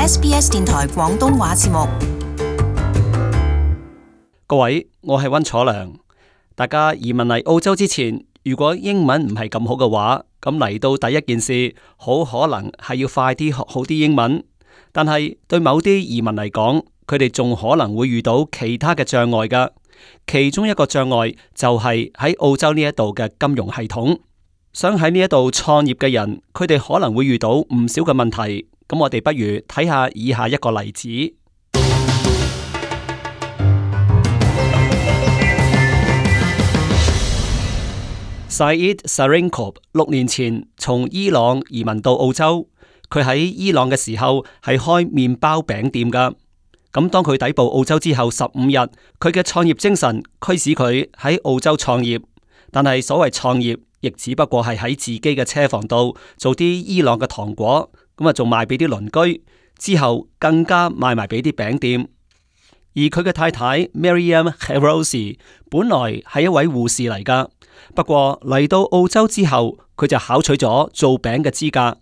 SBS 電台廣東話節目。各位，我係溫楚良。大家移民嚟澳洲之前，如果英文唔係咁好嘅話，咁嚟到第一件事，好可能係要快啲學好啲英文。但係對某啲移民嚟講，佢哋仲可能會遇到其他嘅障礙㗎。其中一個障礙就係喺澳洲呢一度嘅金融系統。想喺呢一度創業嘅人，佢哋可能會遇到唔少嘅問題。咁我哋不如睇下以下一個例子。Saeed Sarinkov 6年前從伊朗移民到澳洲，佢喺伊朗嘅時候係開麵包餅店噶。咁當佢抵埗澳洲之後15日，佢嘅創業精神驅使佢喺澳洲創業。但係所謂創業，亦只不過係喺自己嘅車房度做啲伊朗嘅糖果，咁啊仲賣俾啲鄰居，之後更加賣埋俾啲餅店。而佢嘅太太 Mariam Herozi 本來係一位護士嚟噶。不過嚟到澳洲之後，佢就考取咗做餅嘅資格。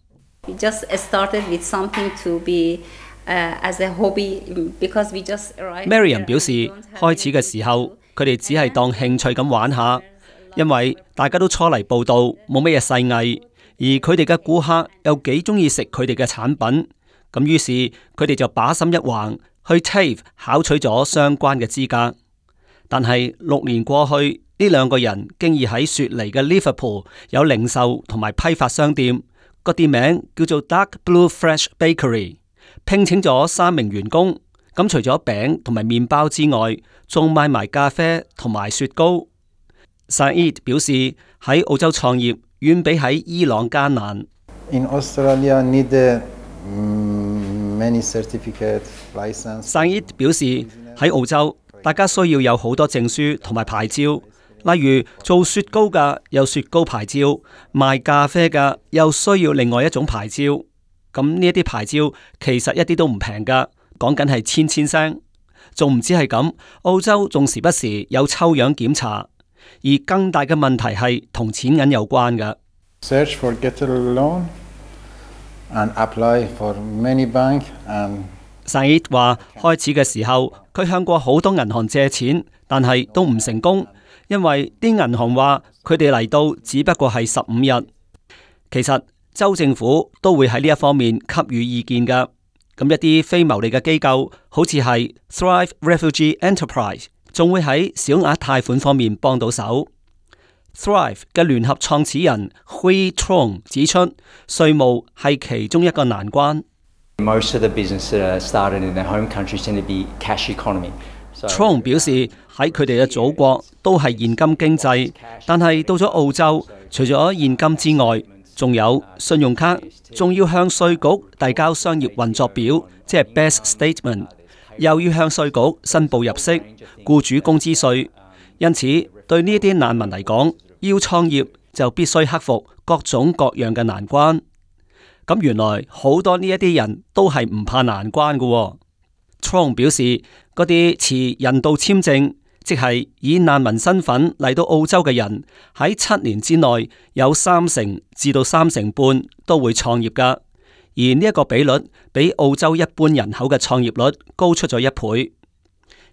We just started with something to be as a hobby because we just arrived. Mariam 表示，開始嘅時候，佢哋只係當興趣咁玩下，因為大家都初嚟報到，冇乜嘢細藝，而佢哋嘅顧客又幾中意食佢哋嘅產品，咁於是佢哋就把心一橫，去 TAFE 考取咗相關嘅資格。但係6年過去，呢兩個人經已喺雪梨嘅 Liverpool 有零售同埋批發商店，個店名叫做 Dark Blue Fresh Bakery， 聘請咗3名員工。咁除咗餅同埋麵包之外，仲賣埋咖啡同埋雪糕。Saeed 表示喺澳洲創業遠比喺伊朗艱難。In Australia need many certificate license. Saeed 表示喺澳洲，大家需要有好多證書同埋牌照。例如做雪糕嘅有雪糕牌照，賣咖啡嘅又需要另外一種牌照。咁呢一啲牌照其實一啲都唔平噶，講緊係千聲。仲唔止係咁，澳洲仲時不時有抽樣檢查，而更大嘅問題係同錢銀有關嘅。Search for get a loan and apply for many bank and Saeed 話開始嘅時候，佢向過好多銀行借錢，但係都唔成功。因為啲銀行話佢哋嚟到只不過係15日，其實州政府都會喺呢一方面給予意見噶。咁一啲非牟利嘅機構，好似係 Thrive Refugee Enterprise， 仲會喺小額貸款方面幫到手。Thrive 嘅聯合創始人 Hui Trong 指出，稅務係其中一個難關。Most of the business that are started in their home countries tend to be cash economy。Trong 表示喺佢哋嘅祖國都係現金經濟，但係到咗澳洲，除咗現金之外，仲有信用卡，仲要向稅局遞交商業運作表，即係 BES Statement， 又要向稅局申報入息、僱主工資稅。因此，對呢啲難民嚟講，要創業就必須克服各種各樣嘅難關。咁原來好多呢一啲人都係唔怕難關嘅。Trong 表示，嗰啲持人道簽證，即係以難民身份嚟到澳洲嘅人，喺7年之內有30%至到3.5%都會創業噶。而呢一個比率比澳洲一般人口嘅創業率高出咗1倍。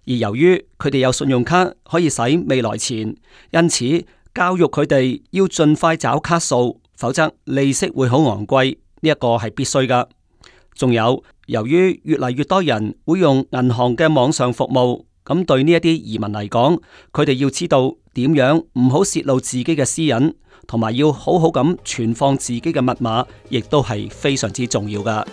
而由於佢哋有信用卡可以使未來錢，因此教育佢哋要盡快找卡數，否則利息會好昂貴。呢一個係必須噶。仲有，由於越嚟越多人會用銀行嘅網上服務，咁對呢一啲移民嚟講，佢哋要知道點樣唔好泄露自己嘅私隱，同埋要好好咁存放自己嘅密碼，亦都係非常之重要噶。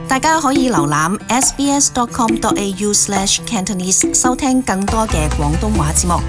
大家可以瀏覽 sbs.com.au/Cantonese 收聽更多嘅廣東話節目。